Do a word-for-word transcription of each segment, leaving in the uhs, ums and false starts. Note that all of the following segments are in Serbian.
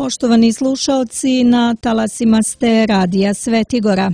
Poštovani slušaoci, na talasima ste Radija Svetigora.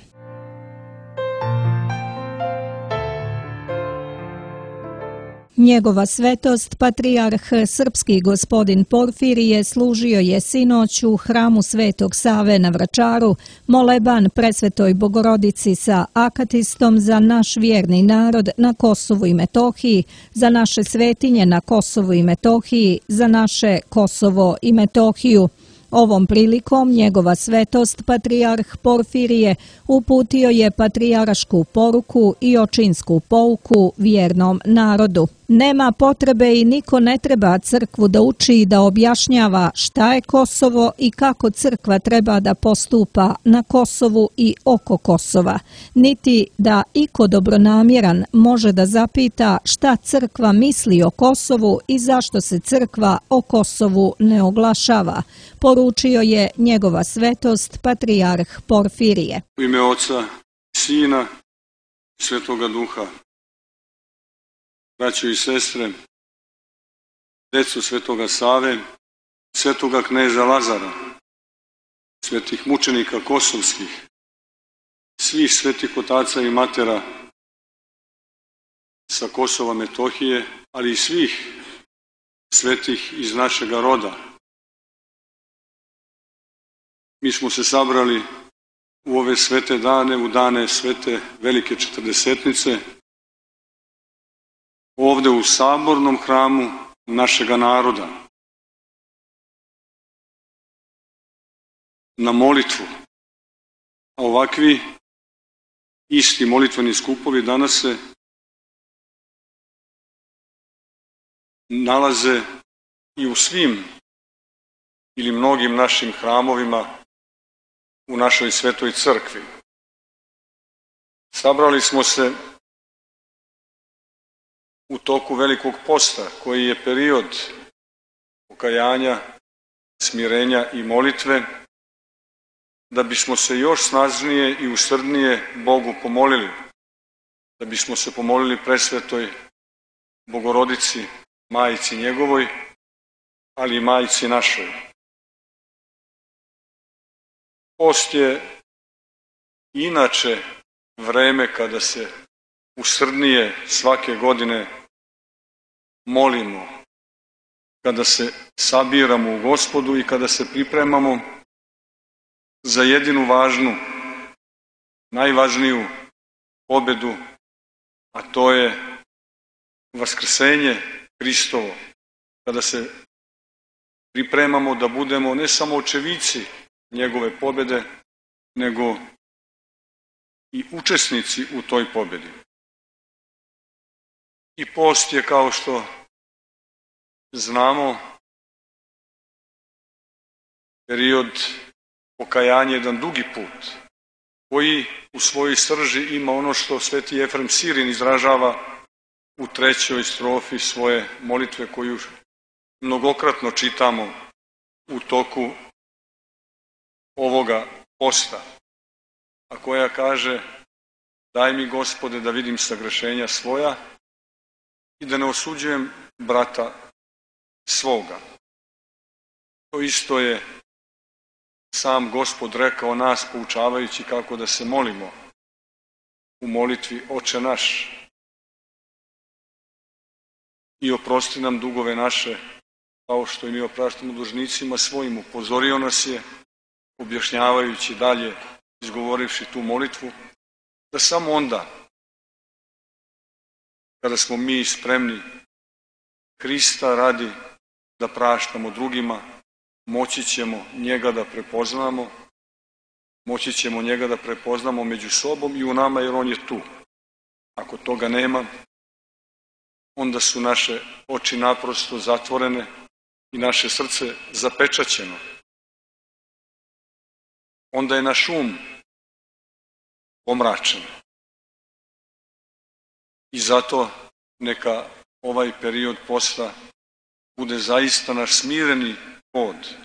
Njegova svetost, patrijarh srpski gospodin Porfirije, služio je sinoć u hramu Svetog Save na Vračaru moleban Presvetoj Bogorodici sa akatistom za naš vjerni narod na Kosovu i Metohiji, za naše svetinje na Kosovu i Metohiji, za naše Kosovo i Metohiju. Ovom prilikom njegova svetost, patrijarh Porfirije, uputio je patrijarašku poruku i očinsku pouku vjernom narodu. Nema potrebe i niko ne treba crkvu da uči i da objašnjava šta je Kosovo i kako crkva treba da postupa na Kosovu i oko Kosova, niti da iko dobronamjeran može da zapita šta crkva misli o Kosovu i zašto se crkva o Kosovu ne oglašava, poručio je njegova svetost, patrijarh Porfirije. U ime Oca, Sina, Svetoga Duha. Braćo i sestre, deco Svetoga Save, Svetoga kneza Lazara, svetih mučenika kosovskih, svih svetih otaca i matera sa Kosova Metohije, ali i svih svetih iz našega roda. Mi smo se sabrali u ove svete dane, u dane svete velike četrdesetnice, ovde u sabornom hramu našega naroda, na molitvu. A ovakvi isti molitveni skupovi danas se nalaze i u svim ili mnogim našim hramovima u našoj svetoj crkvi. Sabrali smo se u toku velikog posta, koji je period pokajanja, smirenja i molitve, da bismo se još snažnije i usrdnije Bogu pomolili, da bismo se pomolili presvetoj Bogorodici, majici njegovoj, ali i majici našoj. Post je inače vreme kada se usrdnije svake godine molimo, kada se sabiramo u Gospodu i kada se pripremamo za jedinu važnu, najvažniju pobedu, a to je vaskrsenje Hristovo, kada se pripremamo da budemo ne samo očevici njegove pobede, nego i učesnici u toj pobedi. I post je, kao što znamo, period pokajanja, jedan dugi put, koji u svojoj srži ima ono što sveti Jefrem Sirin izražava u trećoj strofi svoje molitve, koju mnogokratno čitamo u toku ovoga posta, a koja kaže: daj mi, Gospode, da vidim sagrešenja svoja i da ne osuđujem brata svoga. To isto je sam Gospod rekao nas, poučavajući kako da se molimo u molitvi Oče naš. I oprosti nam dugove naše, kao što i mi opraštamo dužnicima svojim. Upozorio nas je, objašnjavajući dalje, izgovorivši tu molitvu, da samo onda, kada smo mi spremni Hrista radi da praštamo drugima, moći ćemo njega da prepoznamo, moći ćemo njega da prepoznamo među sobom i u nama, jer on je tu. Ako toga nema, onda su naše oči naprosto zatvorene i naše srce zapečaćeno. Onda je naš um pomračen. I zato neka ovaj period posta bude zaista naš smireni hod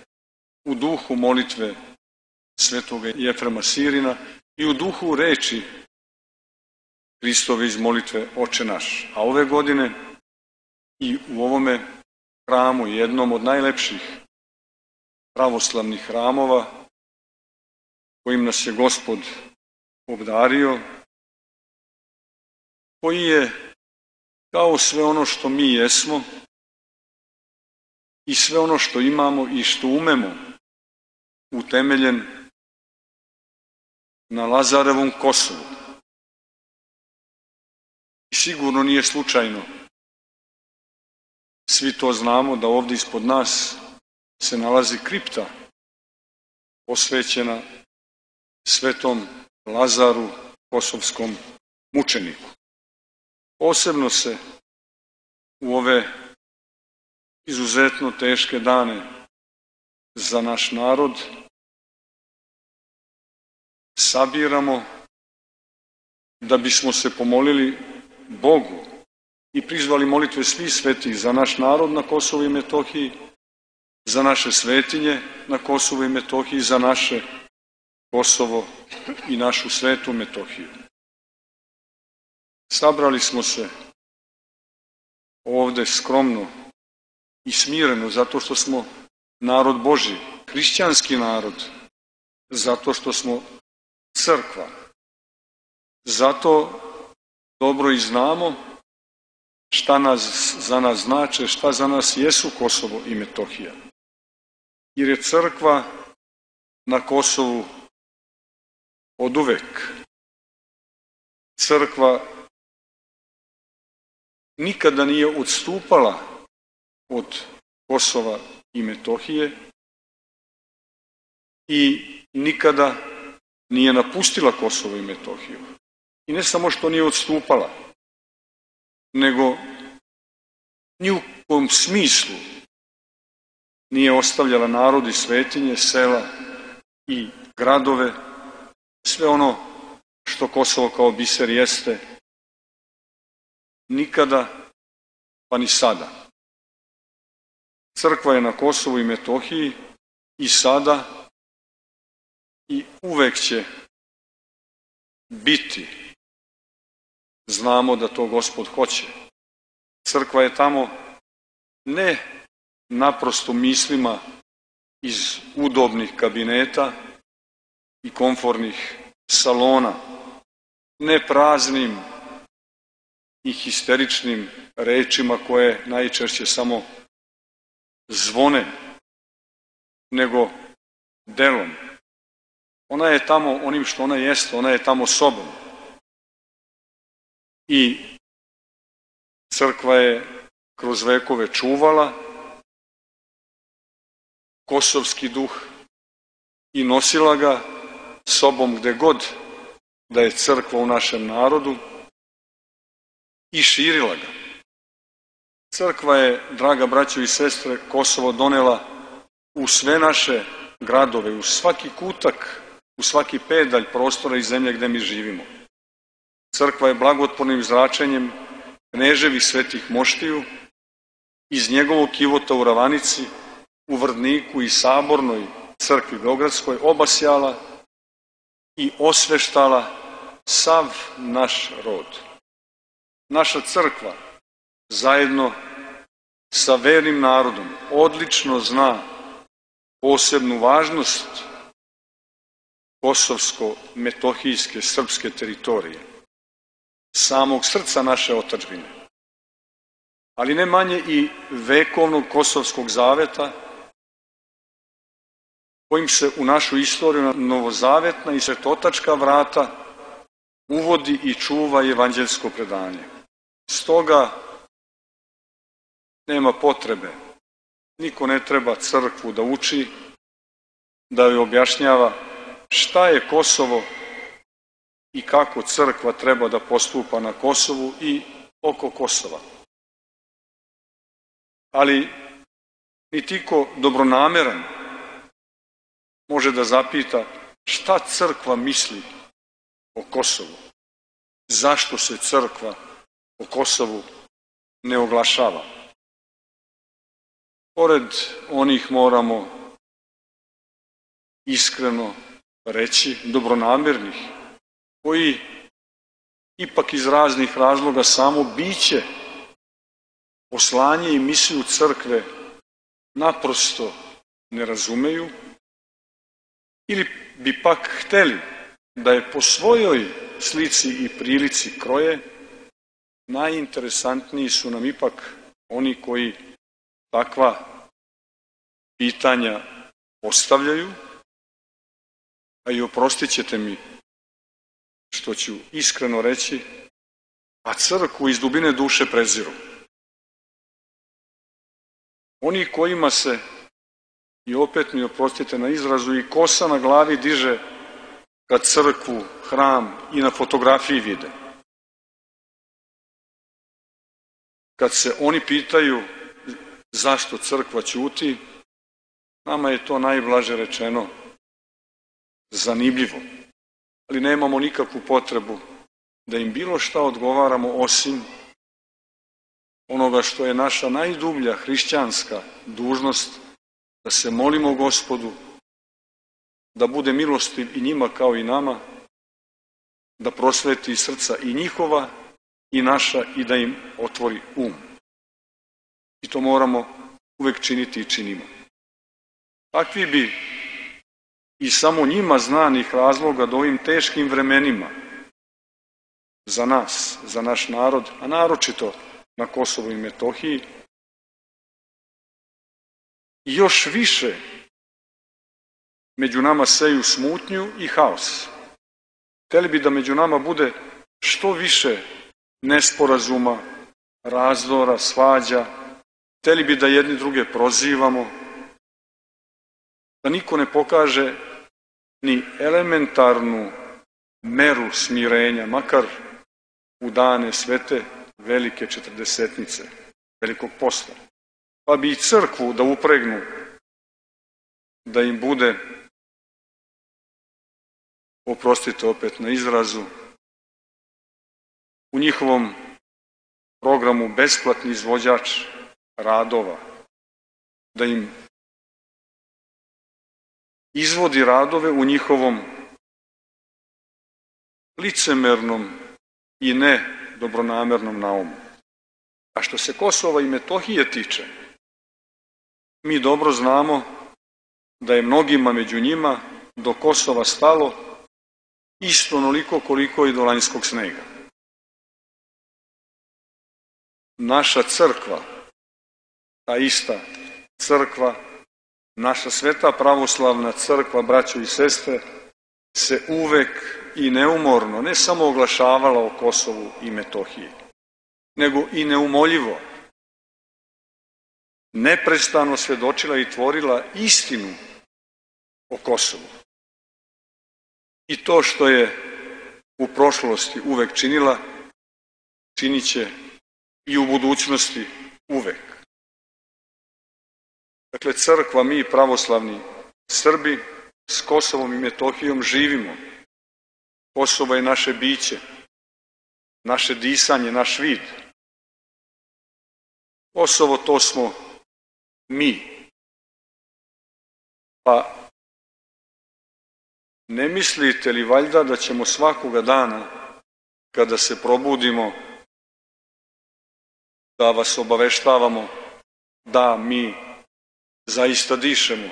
u duhu molitve svetoga Jefrema Sirina i u duhu reči Hristove iz molitve Oče naš. A ove godine i u ovome hramu, jednom od najlepših pravoslavnih hramova kojim nas je Gospod obdario, koji je kao sve ono što mi jesmo i sve ono što imamo i što umemo utemeljen na Lazarevom Kosovu. I sigurno nije slučajno. Svi to znamo da ovdje ispod nas se nalazi kripta posvećena svetom Lazaru, kosovskom mučeniku. Posebno se u ove izuzetno teške dane za naš narod sabiramo da bismo se pomolili Bogu i prizvali molitve svih svetih za naš narod na Kosovu i Metohiji, za naše svetinje na Kosovu i Metohiji, za naše Kosovo i našu svetu Metohiju. Sabrali smo se ovde skromno i smireno zato što smo narod Božji, hrišćanski narod, zato što smo crkva. Zato dobro i znamo šta nas, za nas znače, šta za nas jesu Kosovo i Metohija. Jer je crkva na Kosovu oduvek. Crkva nikada nije odstupala od Kosova i Metohije i nikada nije napustila Kosovo i Metohiju. I ne samo što nije odstupala, nego ni u kom smislu nije ostavljala narod i svetinje, sela i gradove, sve ono što Kosovo kao biser jeste, nikada pa ni sada. Crkva je na Kosovu i Metohiji i sada i uvek će biti. Znamo da to Gospod hoće. Crkva je tamo ne naprosto mislima iz udobnih kabineta i komfornih salona, ne praznim i histeričnim rečima koje najčešće samo zvone, nego delom. Ona je tamo onim što ona jeste, ona je tamo sobom. I crkva je kroz vekove čuvala kosovski duh i nosila ga sobom gde god da je crkva u našem narodu i širila ga. Crkva je, draga braćo i sestre, Kosovo donela u sve naše gradove, u svaki kutak, u svaki pedalj prostora i zemlje gde mi živimo. Crkva je blagotvornim zračenjem kneževih svetih moštiju iz njegovog kivota u Ravanici, u Vrdniku i Sabornoj crkvi Beogradskoj obasjala i osveštala sav naš rod. Naša crkva zajedno sa vernim narodom odlično zna posebnu važnost kosovsko-metohijske srpske teritorije, samog srca naše otadžbine, ali ne manje i vekovnog kosovskog zaveta, kojim se u našu istoriju novozavetna i svetotačka vrata uvodi i čuva evanđeljsko predanje. Stoga nema potrebe, niko ne treba crkvu da uči, da joj objašnjava šta je Kosovo i kako crkva treba da postupa na Kosovu i oko Kosova. Ali nitko dobronameran može da zapita šta crkva misli o Kosovu, zašto se crkva o Kosovu ne oglašava. Pored onih moramo iskreno reći, dobronamernih, koji ipak iz raznih razloga samo biće, poslanje i misiju crkve naprosto ne razumeju ili bi pak hteli da je po svojoj slici i prilici kroje, najinteresantniji su nam ipak oni koji takva pitanja postavljaju, a i oprostit ćete mi što ću iskreno reći, a crkvu iz dubine duše preziru. Oni kojima se, i opet mi oprostite na izrazu, i kosa na glavi diže kad crkvu, hram i na fotografiji vide. Kad se oni pitaju zašto crkva ćuti, nama je to najblaže rečeno zanimljivo, ali nemamo nikakvu potrebu da im bilo šta odgovaramo osim onoga što je naša najdublja hrišćanska dužnost, da se molimo Gospodu, da bude milostiv i njima kao i nama, da prosveti srca i njihova i naša i da im otvori um. I to moramo uvek činiti i činimo. Takvi bi i samo njima znanih razloga da ovim teškim vremenima za nas, za naš narod, a naročito na Kosovu i Metohiji, još više među nama seju smutnju i haos. Hteli bi da među nama bude što više nesporazuma, razdora, svađa, hteli bi da jedni druge prozivamo, da niko ne pokaže ni elementarnu meru smirenja, makar u dane svete velike četrdesetnice, velikog posta. Pa bi i crkvu da upregnu, da im bude, oprostite opet na izrazu, u njihovom programu besplatni izvođač radova, da im izvodi radove u njihovom licemernom i ne dobronamernom naumu. A što se Kosova i Metohije tiče, mi dobro znamo da je mnogima među njima do Kosova stalo isto onoliko koliko i do lanjskog snega. Naša crkva, ta ista crkva, naša sveta pravoslavna crkva, braćo i sestre, se uvek i neumorno, ne samo oglašavala o Kosovu i Metohiji, nego i neumoljivo, neprestano svedočila i tvorila istinu o Kosovu. I to što je u prošlosti uvek činila, činit će i u budućnosti uvek. Dakle, crkva, mi pravoslavni Srbi, s Kosovom i Metohijom živimo. Kosovo je naše biće, naše disanje, naš vid. Kosovo, to smo mi. Pa ne mislite li valjda da ćemo svakoga dana, kada se probudimo, da vas obaveštavamo da mi zaista dišemo,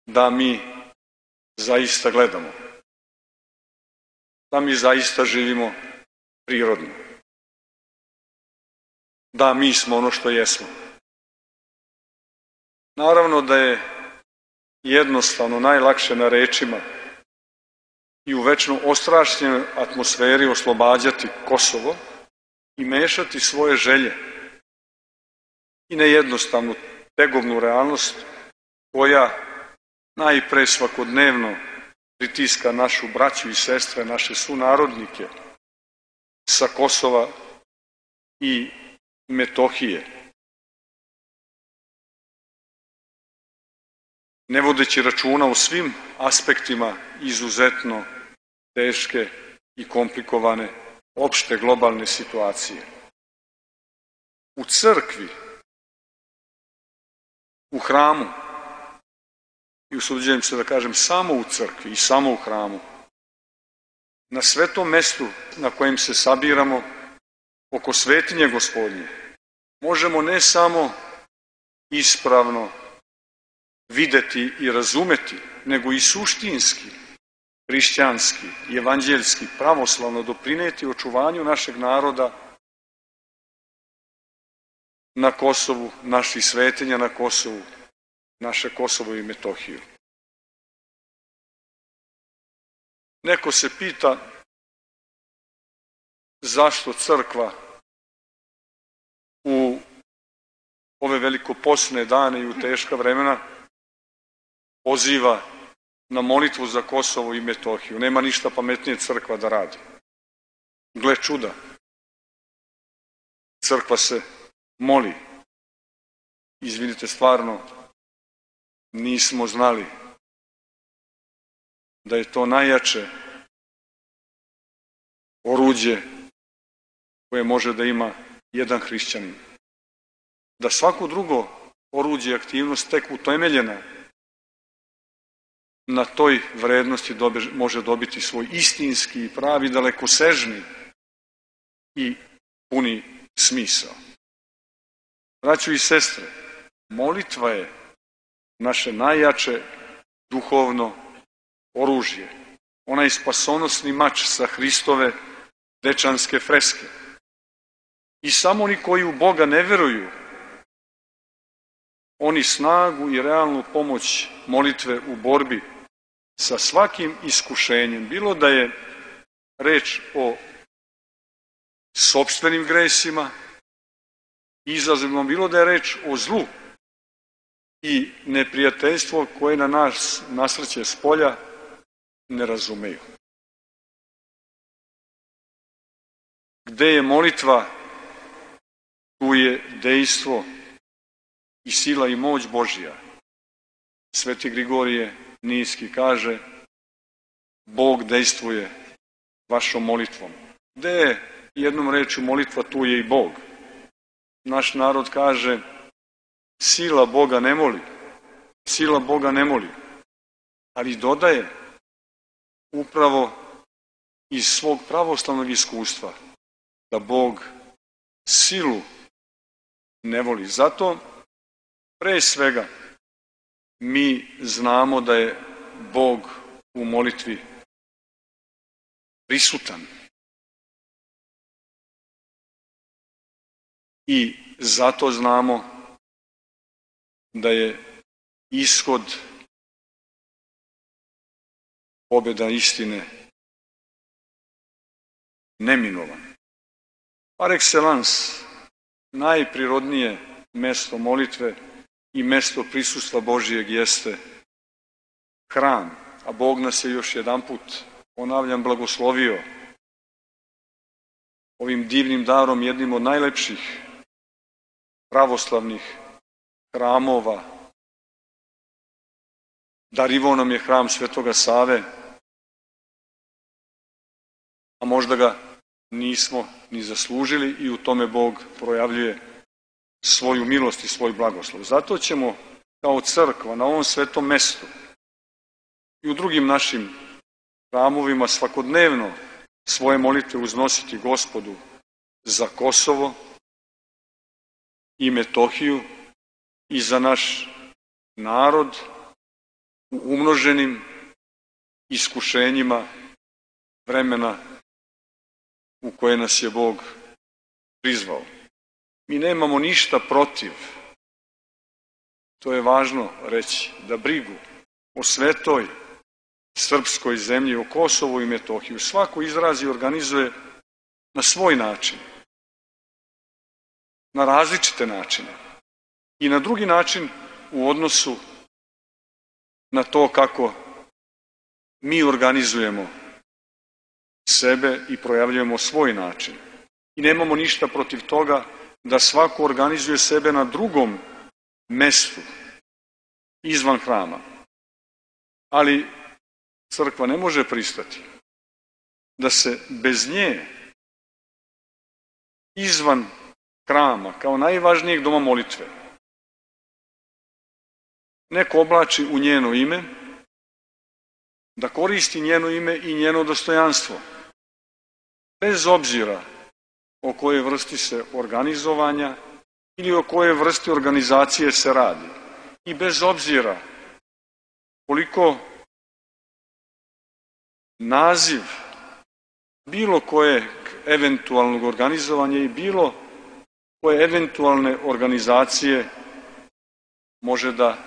da mi zaista gledamo, da mi zaista živimo prirodno, da mi smo ono što jesmo. Naravno da je jednostavno najlakše na rečima i u večno ostrašćenoj atmosferi oslobađati Kosovo i mešati svoje želje i nejednostavnu tegovnu realnost koja najpre svakodnevno pritiska našu braću i sestre, naše sunarodnike sa Kosova i Metohije. Ne vodeći računa o svim aspektima izuzetno teške i komplikovane opšte globalne situacije. U crkvi, u hramu, i usuđujem se da kažem samo u crkvi i samo u hramu, na svetom mestu na kojem se sabiramo oko svetinje Gospodnje, možemo ne samo ispravno videti i razumeti, nego i suštinski, hrišćanski, evanđeljski, pravoslavno doprineti očuvanju našeg naroda na Kosovu, naših svetinja na Kosovu, naše Kosovo i Metohiju. Neko se pita zašto crkva u ove velikoposne dane i u teška vremena poziva na molitvu za Kosovo i Metohiju. Nema ništa pametnije crkva da radi. Gle čuda. Crkva se moli. Izvinite, stvarno nismo znali da je to najjače oruđe koje može da ima jedan hrišćanin. Da svako drugo oruđe i aktivnost tek utemeljena na toj vrednosti dobe, može dobiti svoj istinski i pravi, dalekosežni i puni smisao. Braćo i sestre, molitva je naše najjače duhovno oružje. Onaj spasonosni mač sa Hristove dečanske freske. I samo oni koji u Boga ne veruju, oni snagu i realnu pomoć molitve u borbi sa svakim iskušenjem, bilo da je reč o sopstvenim gresima, izazovima, bilo da je reč o zlu i neprijateljstvo koje na nas nasrće s polja, ne razumeju. Gde je molitva, tu je dejstvo i sila i moć Božja. Sveti Grigorije Nijski kaže: Bog dejstvuje vašom molitvom. Gde je jednom rečju molitva, tu je i Bog. Naš narod kaže: sila Boga ne moli, sila Boga ne moli, ali dodaje upravo iz svog pravoslavnog iskustva da Bog silu ne voli. Zato pre svega mi znamo da je Bog u molitvi prisutan. I zato znamo da je ishod pobjeda istine neminovan. Par excellence, najprirodnije mesto molitve i mesto prisustva Božijeg jeste hram, a Bog nas je još jedanput, ponavljam, blagoslovio ovim divnim darom, jednim od najlepših pravoslavnih hramova. Darivao nam je hram Svetoga Save, a možda ga nismo ni zaslužili i u tome Bog projavljuje svoju milost i svoj blagoslov. Zato ćemo kao crkva na ovom svetom mestu i u drugim našim hramovima svakodnevno svoje molitve uznositi Gospodu za Kosovo i Metohiju i za naš narod u umnoženim iskušenjima vremena u koje nas je Bog prizvao. Mi nemamo ništa protiv, to je važno reći, da brigu o svetoj srpskoj zemlji, o Kosovu i Metohiju svako izrazi i organizuje na svoj način, na različite načine i na drugi način u odnosu na to kako mi organizujemo sebe i projavljujemo svoj način. I nemamo ništa protiv toga da svako organizuje sebe na drugom mestu izvan hrama. Ali crkva ne može pristati da se bez nje izvan hrama, kao najvažnijeg doma molitve, neko oblači u njeno ime, da koristi njeno ime i njeno dostojanstvo, bez obzira o kojoj vrsti se organizovanja ili o kojoj vrsti organizacije se radi i bez obzira koliko naziv bilo kojeg eventualnog organizovanja i bilo koje eventualne organizacije može da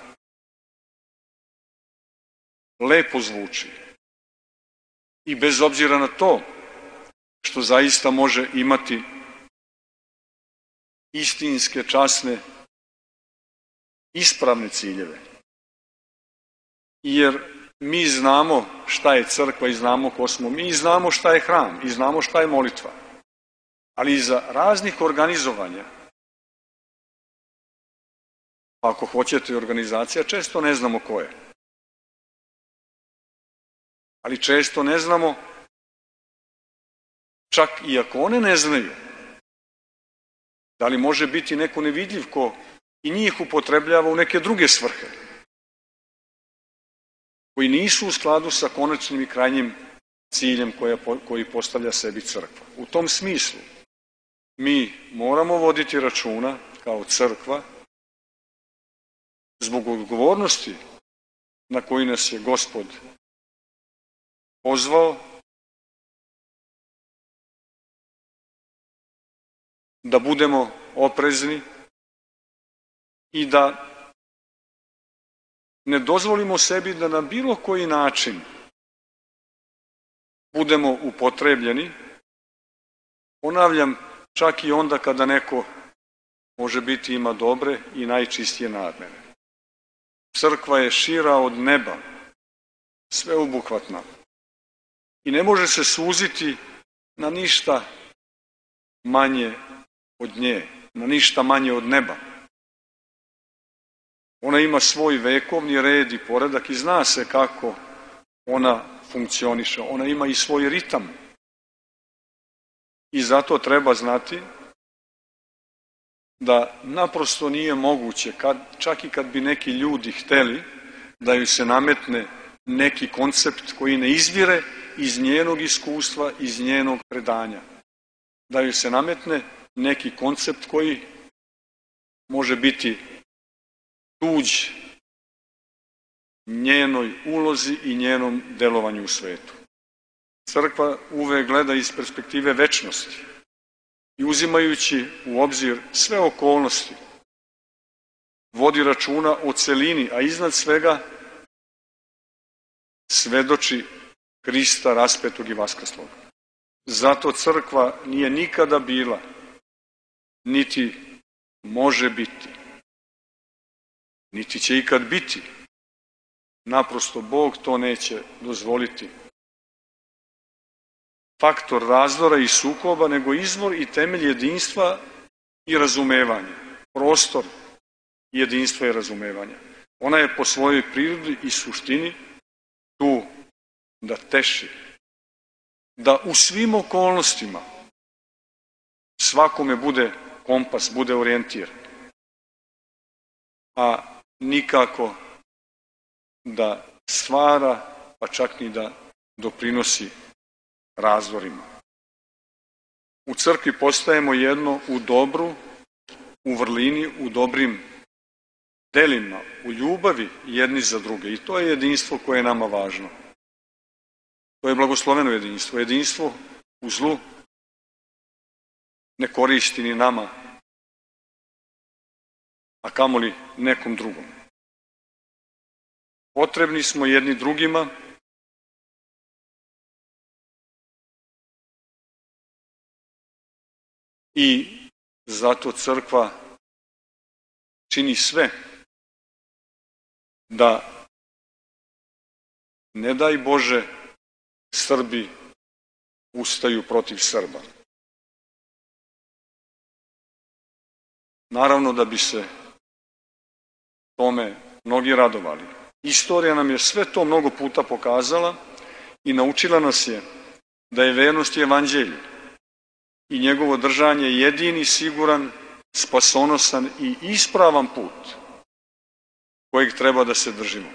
lepo zvuči. I bez obzira na to što zaista može imati istinske, časne, ispravne ciljeve. Jer mi znamo šta je crkva i znamo ko smo mi, i znamo šta je hram i znamo šta je molitva. Ali iza raznih organizovanja, ako hoćete organizacija, često ne znamo ko je. Ali često ne znamo, čak i ako one ne znaju, da li može biti neko nevidljiv ko i njih upotrebljava u neke druge svrhe, koji nisu u skladu sa konačnim i krajnjim ciljem koja, koji postavlja sebi crkva. U tom smislu mi moramo voditi računa kao crkva zbog odgovornosti na koju nas je Gospod pozvao, da budemo oprezni i da ne dozvolimo sebi da na bilo koji način budemo upotrebljeni, ponavljam, čak i onda kada neko može biti ima dobre i najčistije namere. Crkva je šira od neba, sveobuhvatna i ne može se suziti na ništa manje od nje, na ništa manje od neba. Ona ima svoj vekovni red i poredak i zna se kako ona funkcioniše. Ona ima i svoj ritam. I zato treba znati da naprosto nije moguće, kad, čak i kad bi neki ljudi hteli da ju se nametne neki koncept koji ne izvire iz njenog iskustva, iz njenog predanja. Da ju se nametne neki koncept koji može biti tuđ njenoj ulozi i njenom delovanju u svetu. Crkva uvek gleda iz perspektive večnosti i uzimajući u obzir sve okolnosti, vodi računa o celini, a iznad svega svedoči Hrista raspetog i vaskrslog. Zato crkva nije nikada bila, niti može biti, niti će ikad biti. Naprosto Bog to neće dozvoliti. Faktor razdora i sukoba, nego izvor i temelj jedinstva i razumevanja. Prostor jedinstva i razumevanja. Ona je po svojoj prirodi i suštini tu da teši, da u svim okolnostima svakome bude kompas, bude orijentir, a nikako da stvara, pa čak ni da doprinosi razdorima. U crkvi postajemo jedno u dobru, u vrlini, u dobrim delima, u ljubavi jedni za druge. I to je jedinstvo koje je nama važno. To je blagosloveno jedinstvo. Jedinstvo u zlu ne koristi ni nama, a kamoli nekom drugom. Potrebni smo jedni drugima i zato crkva čini sve da, ne daj Bože, Srbi ustaju protiv Srba. Naravno da bi se tome mnogi radovali. Istorija nam je sve to mnogo puta pokazala i naučila nas je da je vernost i evanđelje i njegovo držanje jedini siguran, spasonosan i ispravan put kojeg treba da se držimo.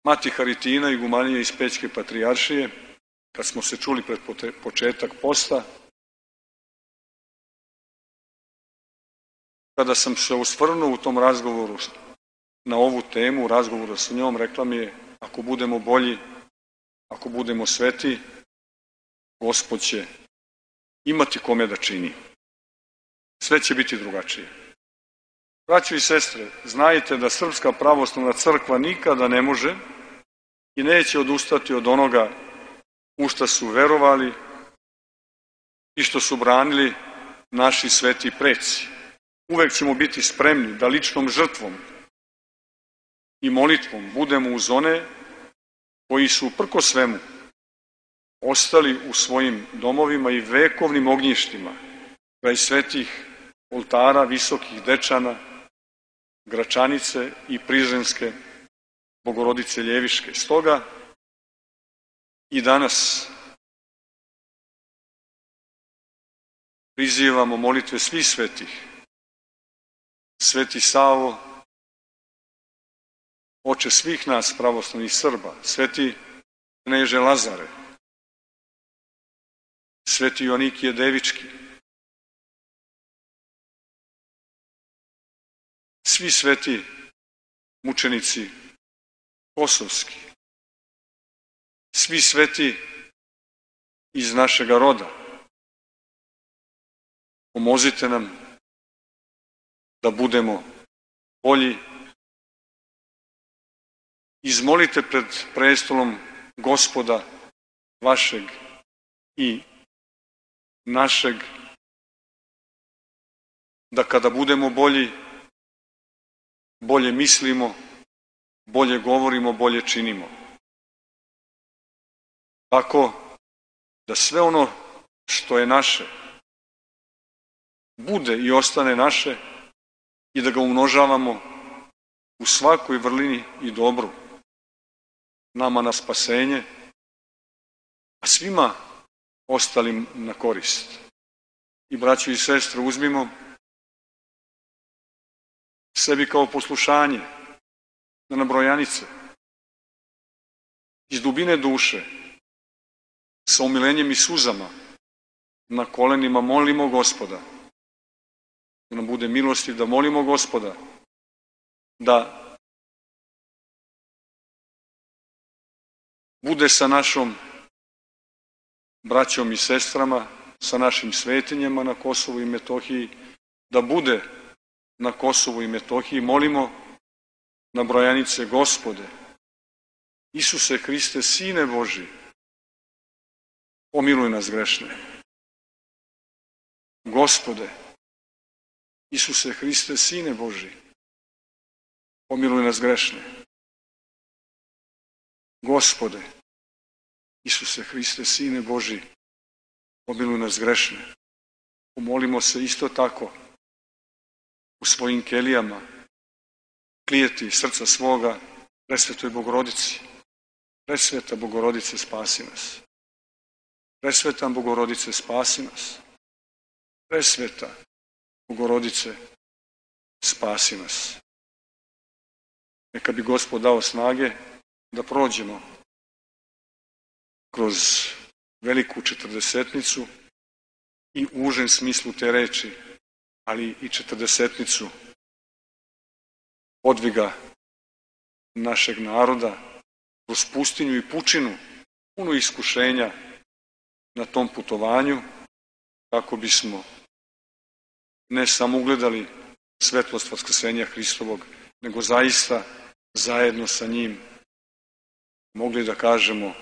Mati Haritina, igumanija iz Pećke patrijaršije, kad smo se čuli pred početak posta, kada sam se osvrnuo u tom razgovoru na ovu temu, u razgovoru sa njom, rekla mi je, ako budemo bolji, ako budemo sveti, Gospod će imati kome da čini. Sve će biti drugačije. Braćo i sestre, znajte da Srpska pravoslavna crkva nikada ne može i neće odustati od onoga u šta su verovali i što su branili naši sveti preci. Uvek ćemo biti spremni da ličnom žrtvom i molitvom budemo uz one koji su prko svemu ostali u svojim domovima i vekovnim ognjištima kraj svetih oltara, visokih Dečana, Gračanice i Prizrenske Bogorodice Ljeviške. Stoga i danas prizivamo molitve svih svetih. Sveti Savo, oče svih nas pravoslavnih Srba, sveti kneže Lazare, sveti Joanikije Devički, svi sveti mučenici kosovski, svi sveti iz našega roda, pomozite nam da budemo bolji. Izmolite pred prestolom Gospoda vašeg i našeg, da kada budemo bolji, bolje mislimo, bolje govorimo, bolje činimo. Tako da sve ono što je naše bude i ostane naše i da ga umnožavamo u svakoj vrlini i dobru, nama na spasenje, a svima ostalim na korist. I braćo i sestre, uzmimo sebi kao poslušanje na nabrojanice, iz dubine duše, sa umilenjem i suzama, na kolenima molimo Gospoda, da nam bude milosti, da molimo Gospoda, da bude sa našom braćom i sestrama, sa našim svetinjama na Kosovu i Metohiji, da bude na Kosovu i Metohiji. Molimo na brojanice: Gospode, Isuse Hriste, Sine Boži, pomiluj nas grešne. Gospode, Isuse Hriste, Sine Boži, pomiluj nas grešne. Gospode, Isuse Hriste, Sine Boži, pomiluj nas grešne. Pomolimo se isto tako u svojim kelijama, klijeti srca svoga presvetoj Bogorodici. Presveta Bogorodice, spasi nas. Presveta Bogorodice, spasi nas. Presveta Bogorodice, spasi nas. Neka bi Gospod dao snage da prođemo kroz veliku četrdesetnicu i u užem smislu te reči, ali i četrdesetnicu podviga našeg naroda kroz pustinju i pučinu, puno iskušenja na tom putovanju, kako bismo ne samo ugledali svetlost vaskrsenja Hristovog, nego zaista zajedno sa njim mogli da kažemo: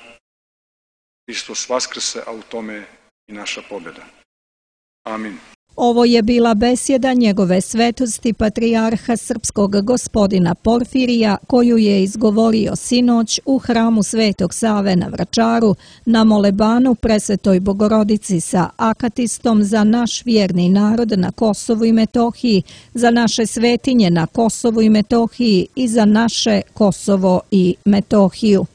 Hristos vaskrse, a u tome je i naša pobjeda. Amin. Ovo je bila besjeda njegove svetosti patrijarha srpskog gospodina Porfirija, koju je izgovorio sinoć u hramu Svetog Save na Vračaru na molebanu Presvetoj Bogorodici sa akatistom za naš vjerni narod na Kosovu i Metohiji, za naše svetinje na Kosovu i Metohiji i za naše Kosovo i Metohiju.